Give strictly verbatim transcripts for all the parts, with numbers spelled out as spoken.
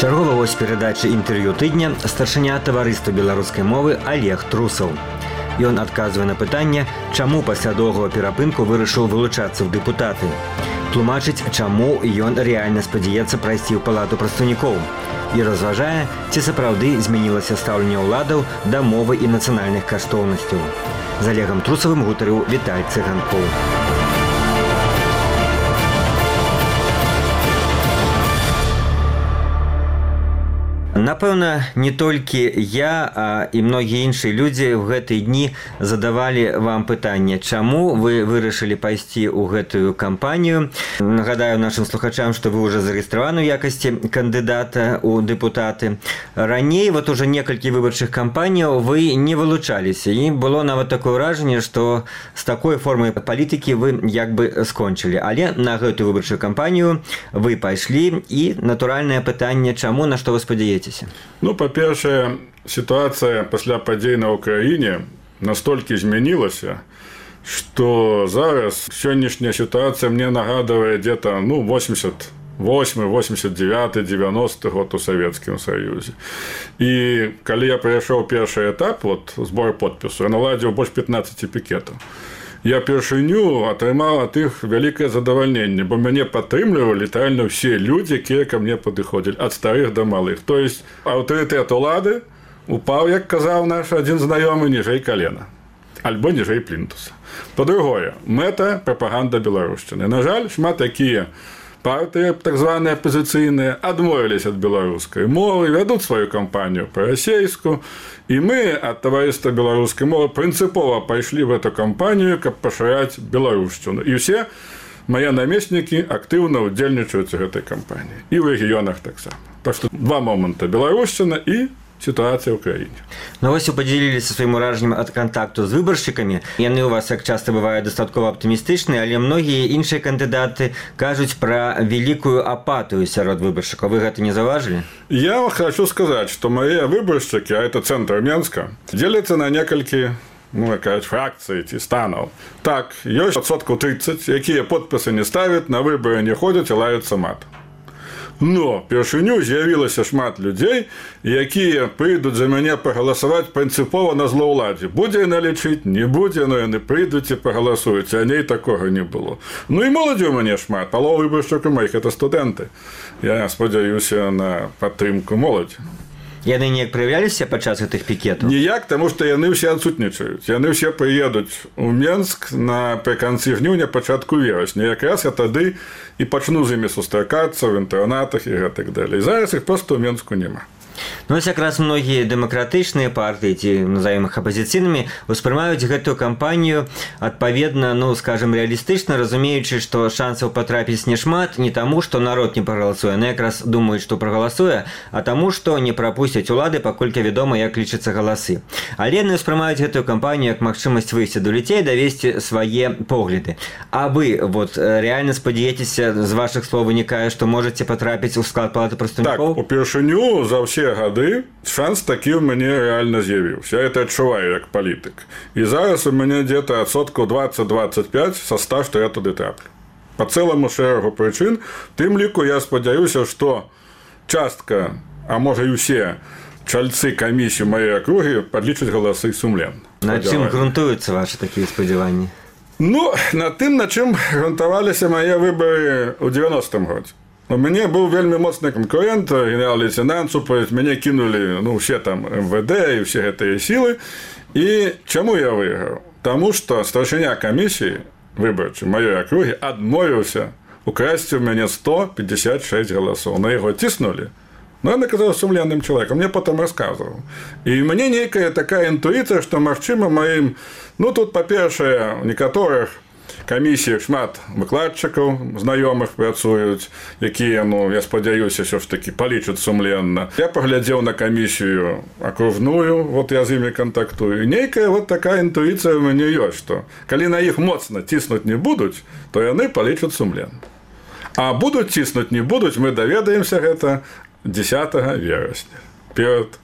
Чарговая вось перадачы інтэрв'ю тыдня старшыня таварыства беларускай мовы Олег Трусаў. Ён адказвае на пытанне, чаму пасля доўгага перапынку вырашыў вылучацца ў дэпутаты. Тлумачыць, чаму ён рэальна спадзяецца прайсці ў палату прадстаўнікоў. І разважае, ці сапраўды змянілася стаўленне ўладаў да мовы і нацыянальных каштоўнасцяў. З Олегам Трусавым гутарыў Віталь Цыганкоў. Напэўна, не толькі я, а і многія іншыя людзі ў гэтыя дні задавалі вам пытанне, чаму вы вырашылі пайсці ў гэтую кампанію. Нагадаю нашым слухачам, што вы ўжо зарэгістраваны ў якасці кандыдата ў дэпутаты. Раней, вот уже некалькі выбарчых кампаніяў вы не вылучаліся, і было нават такое ўражанне, што з такой формай палітыкі вы як бы скончылі. Але на гэтую выбарчую кампанію вы пайшлі, і натуральнае пытанне, чаму, на што вы спадзяецеся? Ну, па-першае, сітуацыя пасля падзей на ўкраіне настолькі змянілася, што зараз сённяшняя сітуацыя мне нагадвае где-то, ну, восемьдесят восьмы, восемьдесят девяты, девяносты год у Савецкім Саюзе. І калі я прайшоў першы этап, вот, збор подпісу, я наладзіў больш пятнаццаць пікетаў. Я першыню атрымаў ад іх вялікае задавальненне, бо мяне падтрымлівалі літаральна ўсе людзі, якія ка мне падыходзілі, ад старых да малых. То есть аўтарытэт улады упаў, як казаў наш адзін знаёмы, ніжэй калена, альбо ніжэй плінтуса. Па-другое, мэта прапаганда беларушчыны. На жаль, шмат такія партыі, так званыя апазіцыйныя, адмовіліся ад беларускай мовы, вядуць сваю кампанію па-расейску, і мы ад таварыства беларускай мовы прынцыпова пайшлі в эту кампанію, каб пашыраць беларушчыну. І ўсе мае намеснікі актыўна ўдзельнічаюць у гэтай кампаніі. І ў рэгіёнах таксама. Так што два моманты: беларушчына і сітуацыя ў краіне. Ну вось вы падзяліліся сваім уражаннем ад кантакту з выбаршчыкамі. Яны ў вас, як часта бывае, дастаткова аптымістычныя, але многія іншыя кандыдаты кажуць пра вялікую апатыю сярод выбаршчыкаў. Вы гэта не заўважылі? Я хочу сказаць, што мае выбаршчыкі, а это цэнтр Менска, дзеляцца на некалькі, ну, якая фракцыі ці станаў. Так, ёсць адсоткаў тридцать, якія подпісы не ставяць, на выбары не ходзяць і лаюцца мат. Но першыню з'явілася шмат людзей, якія прыйдуць за мяне пагаласаваць прынцыпова на злоўладзе. Будзе яна лічыць, не будзе, но яны прыйдуць і пагаласуюць, а ней такога не было. Ну і моладзі ў мяне шмат, палова выбаршчыкаў маіх это студэнты. Я спадзяюся на падтрымку моладзі. Яны неяк праявляліся падчас гэтых пікетаў? Ніяк, таму што яны ўсе адсутнічаюць. Яны ўсе прыедуць у Менск напрыканцы жніўня, пачатку верасня. Якраз я тады і пачну з імі сустракацца ў інтэрнатах і гэтак далей. Зараз іх проста ў Менску няма. Ну, ось якраз многія дэмакратычныя партыі, ці назовем іх апазіцыйнымі, успрымаюць гэтую кампанію адпаведна, ну, скажем, рэалістычна, разумеючы, што шансаў патрапіць няшмат не таму, што народ не прагаласуе, яны якраз думаюць, што прагаласуе, а таму, што не прапусцяць улады, паколькі вядома, як лічацца галасы. Але яны успрымаюць гэтую кампанію як магчымасць выйсці да людзей, давесці свае погляды. А вы, вот, рэальна спадзяецеся, з вашых слоў вынікае, што можаце патрапіць у склад палаты прадстаўнікоў? Так, упершыню за ўсе гады шанс такі ў мяне рэальна з'явіўся. Я это адчуваю як палітык. І зараз у мяне где-то адсоткаў двадцать двадцать пять са ста, што я туды траплю. Па цэламу шэрагу прычын, тым ліку я спадзяюся, што частка, а можа і ўсе чальцы камісіі маёй акругі падлічаць галасы сумленна. На чым грунтуюцца вашы такія спадзяванні? Ну, на тым, на чым грунтаваліся мае выбары ў девяностым годзе. У мяне быў вельмі моцны канкурент, генерал-лейтенант супраць, мяне кінулі, ну, усе там эм вэ дэ і ўсе гэтыя сілы. І чаму я выйграў? Таму што старшыня камісіі выбарчай маёй акругі адмовіўся украсці ў мяне сто пятьдесят шесть галасоў. На яго ціснулі. Ну, ён аказаў сумленным чалавекам, мне потым расказваў. І мне нейкая такая інтуіцыя, што, магчыма, маім, ну, тут, па-першае, у некаторых камісіях шмат выкладчыкаў знаёмых працуюць, якія, ну, я спадзяюся, ўсё ж такі палічаць сумленна. Я паглядзеў на камісію акружную, вот я з імі кантактую. Нейкая вот такая інтуіцыя ў мяне ёсць, што калі на іх моцна ціснуць не будуць, то яны палічаць сумленна. А будуць ціснуць не будуць, мы даведаемся гэта дзесятага верасня, перад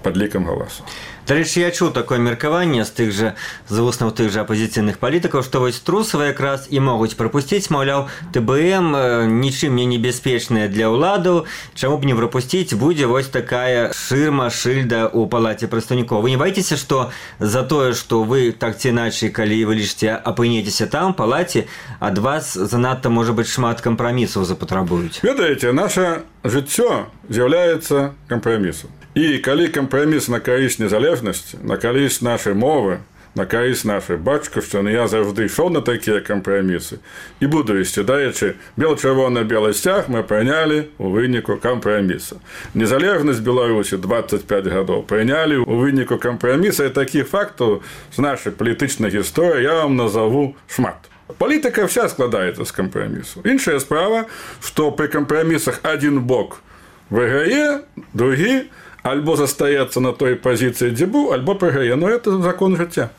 падлікам галасу. Дарэчы, я чуў такое меркаванне з тых жа з вуснаў тых жа апазіцыйных палітыкаў, што вось трусавы якраз і могуць прапусціць, маўляў, ТБМ нічым не небяспечная для ўладаў, чаму б не прапусціць, будзе вось такая шырма, шыльда ў палаце прадстаўнікоў. Вы не баіцеся, што за тое, што вы так ці іначай, калі вы лічыце, апынецеся там, палаце, ад вас занадта, можа быць, шмат кампрамісаў запатрабуюць? Ведаеце, наша жыццё з'яўляецца кампрамісам. І калі кампраміс на карысць незалежнасці, на карысць нашай мовы, на карысць нашай бацькаўшчыны, я заўжды ішоў на такія кампрамісы і буду ісці. Дарэчы, бел-чырвона-белы сцяг мы прынялі ў выніку кампраміса. Незалежнасць Беларусі дваццаць пяць гадоў прынялі ў выніку кампраміса, і такіх фактаў з нашай палітычнай гісторыі я вам назову шмат. Палітыка вся складаецца з кампрамісу. Іншая справа, што пры кампрамісах адзін бок выйграе, другі альбо застаецца на той пазіцыі, дзе быў, альбо прыграе. Но это закон жыцця.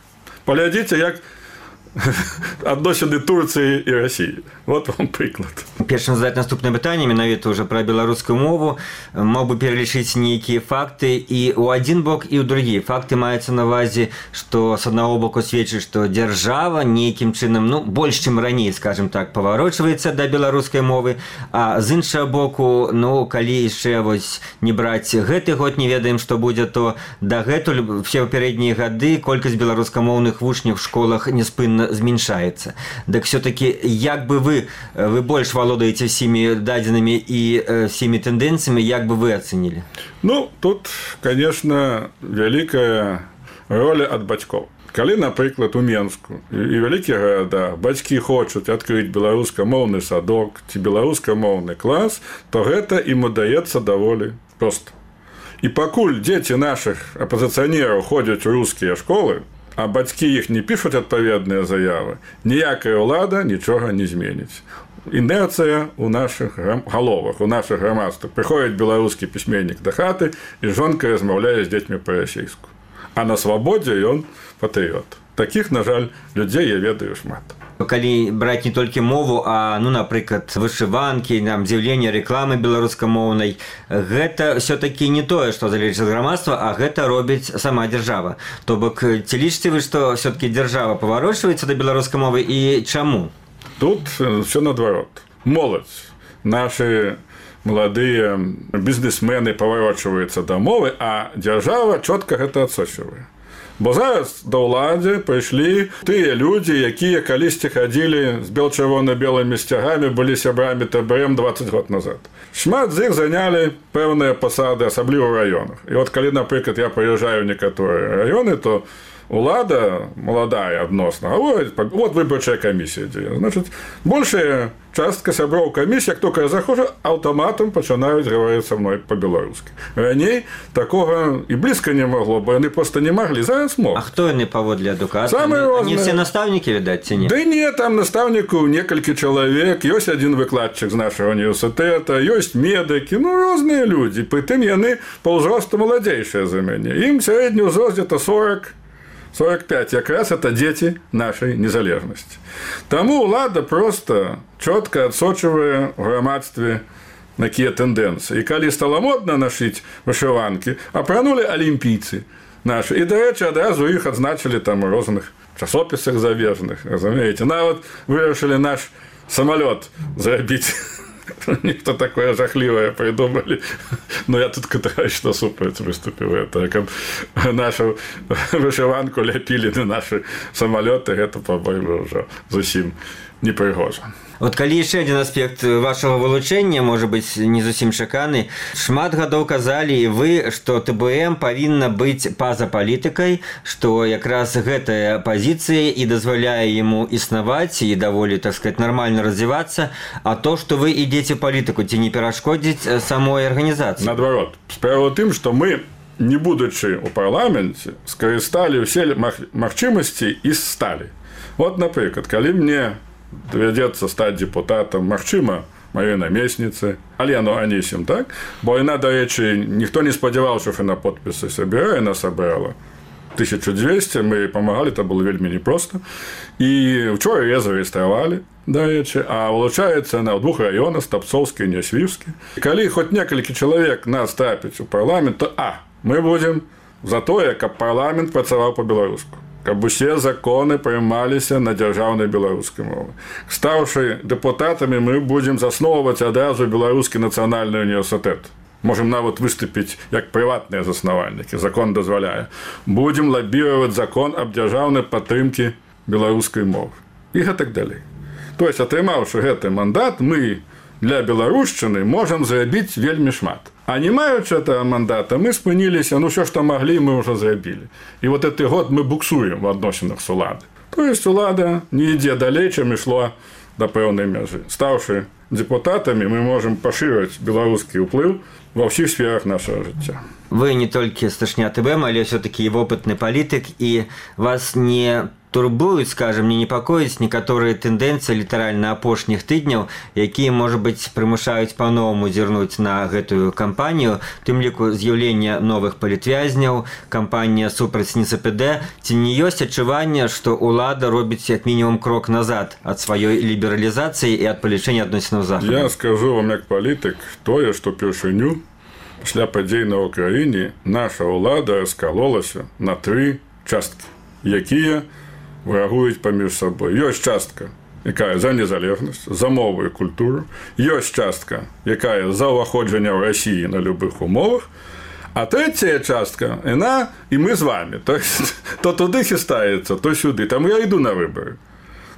Паглядзіце, як адносіны Турцыі і Расіі. Вот вам прыклад. Першым задаць наступнае пытанне, менавіта ўжо пра беларускую мову. Мог бы пералічыць нейкія факты і ў адзін бок, і ў другі. Факты маюцца на ўвазе, што з аднаго боку сведчыць, што дзяржава нейкім чынам, ну, больш, чым раней, скажем так, паварочваецца да беларускай мовы, а з іншага боку, ну, калі яшчэ вось не браць гэты год, не ведаем, што будзе, то дагэтуль все папярэднія гады колькасць беларускамоўных вучняў в школах неспынна зменшаецца. Так все-таки, як бы вы, вы больш валодаеце всеми дадзенымі і всеми тэндэнцыямі, як бы вы ацэнілі? Ну, тут, конечно, вялікая роля ад бацькоў. Калі, напрыклад, у Менску і вялікіх гарадах бацькі хочуць адкрыць беларускамоўны садок ці беларускамоўны клас, то гэта ім удаецца даволі проста. І пакуль дзеці нашых апазіцыянераў ходзяць у рускія школы, а бацькі іх не пішуць адпаведныя заявы, ніякая ўлада нічога не зменіць. Інерцыя ў нашых галовах, у нашых грамадствах. Прыходзіць беларускі пісьменнік да хаты, і жонка размаўляе з дзецьмі па-расейску. А на свабодзе ён патрыёт. Такіх, на жаль, людзей я ведаю шмат. Калі браць не толькі мову, а, ну, напрыклад, вышыванкі, нам з'яўленне рэкламы беларускамоўнай, гэта все-таки не тое, што залежыць ад грамадства, а гэта робіць сама дзяржава. То бок, ці лічыце вы, што все-таки дзяржава паварочваецца да беларускай мовы і чаму? Тут все наадварот. Моладзь, нашы маладыя бізнесмены паварочваюцца да мовы, а дзяржава чётка гэта адсочвае. Бо зараз да ўладзе прыйшлі тыя людзі, якія калісьці хадзілі з бел-чырвона-белымі сцягамі, былі сябрамі ТБМ дваццаць год назад. Шмат з іх занялі пэўныя пасады, асабліва ў раёнах. І от калі, напрыклад, я прыязджаю ў некаторыя раёны, то улада, маладая адносна, гаворыць, вот выбарчая камісія дзе. Значыць, большая частка сяброў камісіі, як толькі я захожу, аўтаматам пачынаюць гаварыць са мной па-беларуску. Раней такога і блізка не магло, бо яны проста не маглі, зараз мог. А хто яны паводле адукацыі? Самыя розныя. Не все настаўнікі, відаць, ці не? Да не, там настаўнікаў некалькі чалавек, ёсць адзін выкладчык з нашага універсітэта, ёсць медыкі, ну, розныя людзі. Прытым яны па ўзросту маладзейшыя за мяне. Ім сярэдні ўзрост где-то сорок сорок пять, якраз это дети нашей незалежности. Тому улада просто четко отсочивая в громадстве такие тенденции. И когда стало модно носить вышиванки, апранули олимпийцы наши. И, до речи, одразу их отзначили там в разных часописах зарубежных, разумеете. Навод вырашили наш самолет зарабить. Ніхто такое жахливое придумали. Но я тут категорично супереч выступил. Это как нашу вышиванку ляпили на наши самолеты, это, по-моему, уже зусім непригожа. Вот калі яшчэ адзін аспект вашага вылучэння, можа быць, не зусім чаканы, шмат гадоў казалі і вы, што ТБМ павінна быць па-за палітыкай, што якраз гэтая пазіцыя і дазваляе яму існаваць і даволі, так сказать, нармальна развівацца, а то, што вы ідзеце палітыку, ці не перашкодзіць самой арганізацыі? Наадварот. Справа ў тым, што мы, не будучы ў парламенце, скарысталі ўсе магчымасці і сталі. Вот, напрыклад, калі мне давядзецца стаць депутатам, магчыма, маёй намесніцы, Алену Анісім, так? Бо яна, да рэчы, ніхто не спадзяваўся, што на подпісы сабірае, яна сабрала тысячу дзвесце, мы памагалі, это было вельмі непроста. І вчора яе зарэгістравалі, да рэчы, а вылучаецца на двух раёнах, Стапцоўскі і Нясвіўскі. Калі хоць некалькі чалавек нас трапіць у парламент, то а, мы будзем за тое, каб парламент працаваў па-беларуску, каб усе законы прымаліся на дзяржаўнай беларускай мове. Стаўшы дэпутатамі, мы будзем засноўваць адразу беларускі нацыянальны універсітэт. Можем нават выступіць як прыватныя заснавальнікі, закон дазваляе. Будзем лабіраваць закон аб дзяржаўнай падтрымкі беларускай мовы. І гэтак далей. То есть, атрымаўшы гэты мандат, мы для беларушчыны можам зрабіць вельмі шмат. А не маючы этого мандата, мы спыніліся, ну, все, што маглі, мы ўжо зрабілі. І вот гэты год мы буксуем в адносінах з уладай. То есть, улада не ідзе далей, чым ішло да пэўнай мяжы. Стаўшы депутатамі, мы можам пашыраць беларускі ўплыў ва ўсіх сферах нашага жыцця. Вы не толькі сташня ТБ, але все-таки і вопытны палітык, і вас не турбуюць, скажем, не непакоіць некаторыя тэндэнцыі літаральна апошніх тыдняў, якія, можа быць, прымушаюць па-новаму зірнуць на гэтую кампанію, тым ліку з'яўлення новых палітвязняў, кампанія супраць НСПД. Ці не ёсць адчуванне, што ўлада робіць як мінімум крок назад ад сваёй лібералізацыі і ад палічэння адносінаў з Захадам? Я скажу вам як палітык тое, што першыню пасля падзей на Ўкраіне наша ўлада раскалолася на тры часткі, якія врагуюць паміж сабой. Ёсць частка, якая за незалежнасць, за мову і культуру. Ёсць частка, якая за ўваходжанне ў Расіі на любых умовах. А трэцяя частка, яна і мы з вами. То, то туды хістаецца, то сюды. Таму я іду на выбары.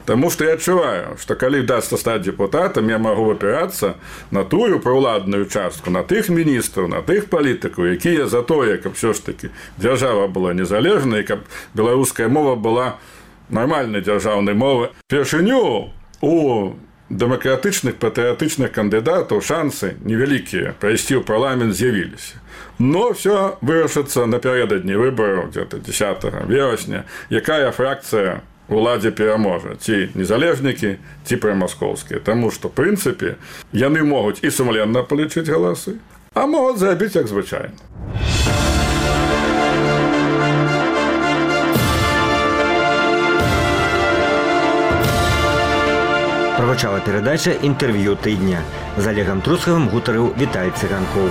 Таму што я адчуваю, што калі вдасца стаць дэпутатам, я магу апірацца на тую праўладную частку, на тых міністраў, на тых палітыкаў, якія за тое, каб все ж такі дзяржава была незалежнай, каб беларуская мова была нармальнай дзяржаўнай мовы. Першыню у дэмакратычных патрыятычных кандыдатаў шансы невялікія прайсці ў парламент з'явіліся. Но все вырашыцца напярэдадні выбараў где-то дзесятага верасня, якая фракцыя уладзе пераможа, ці незалежнікі, ці прамаскоўскія. Таму што, в прынцыпе, яны могуць і сумленна палічыць галасы, а могуць зрабіць як звычайна. Прагучала перадача «Інтэрв'ю тыдня». З Олегам Трускавым гутарыў Віталь Цыганкоў.